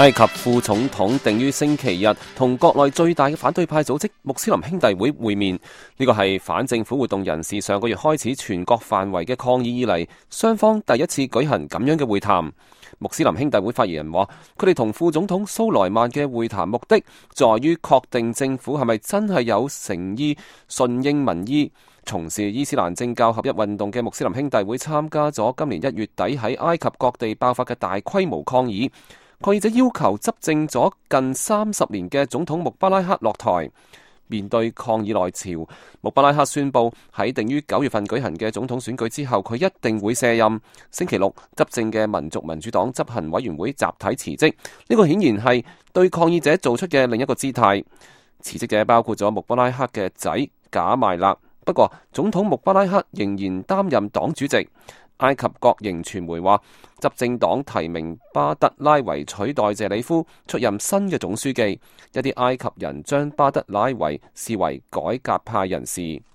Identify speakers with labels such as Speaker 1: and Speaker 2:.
Speaker 1: 埃及副總統定於星期日同國內最大嘅反對派組織穆斯林兄弟會會面，呢個係反政府活動人士上個月開始全國範圍嘅抗議以嚟，雙方第一次舉行咁樣嘅會談。穆斯林兄弟會發言人話，佢哋同副總統蘇萊曼嘅會談目的，在於確定政府係咪真係有誠意順應民意。從事伊斯蘭政教合一運動嘅穆斯林兄弟會參加咗今年1月底喺埃及各地爆發嘅大規模抗議。抗議者要求執政咗近30年嘅總統穆巴拉克落台。面對抗議內潮，穆巴拉克宣布喺定於9月份舉行嘅總統選舉之後，佢一定會卸任。星期六，執政嘅民族民主黨執行委員會集體辭職，呢個顯然係對抗議者做出嘅另一個姿態。辭職者包括咗穆巴拉克嘅仔賈邁勒，不過總統穆巴拉克仍然擔任黨主席。埃及國營傳媒話，執政黨提名巴德拉維取代謝里夫出任新嘅總書記。一啲埃及人將巴德拉維視為改革派人士。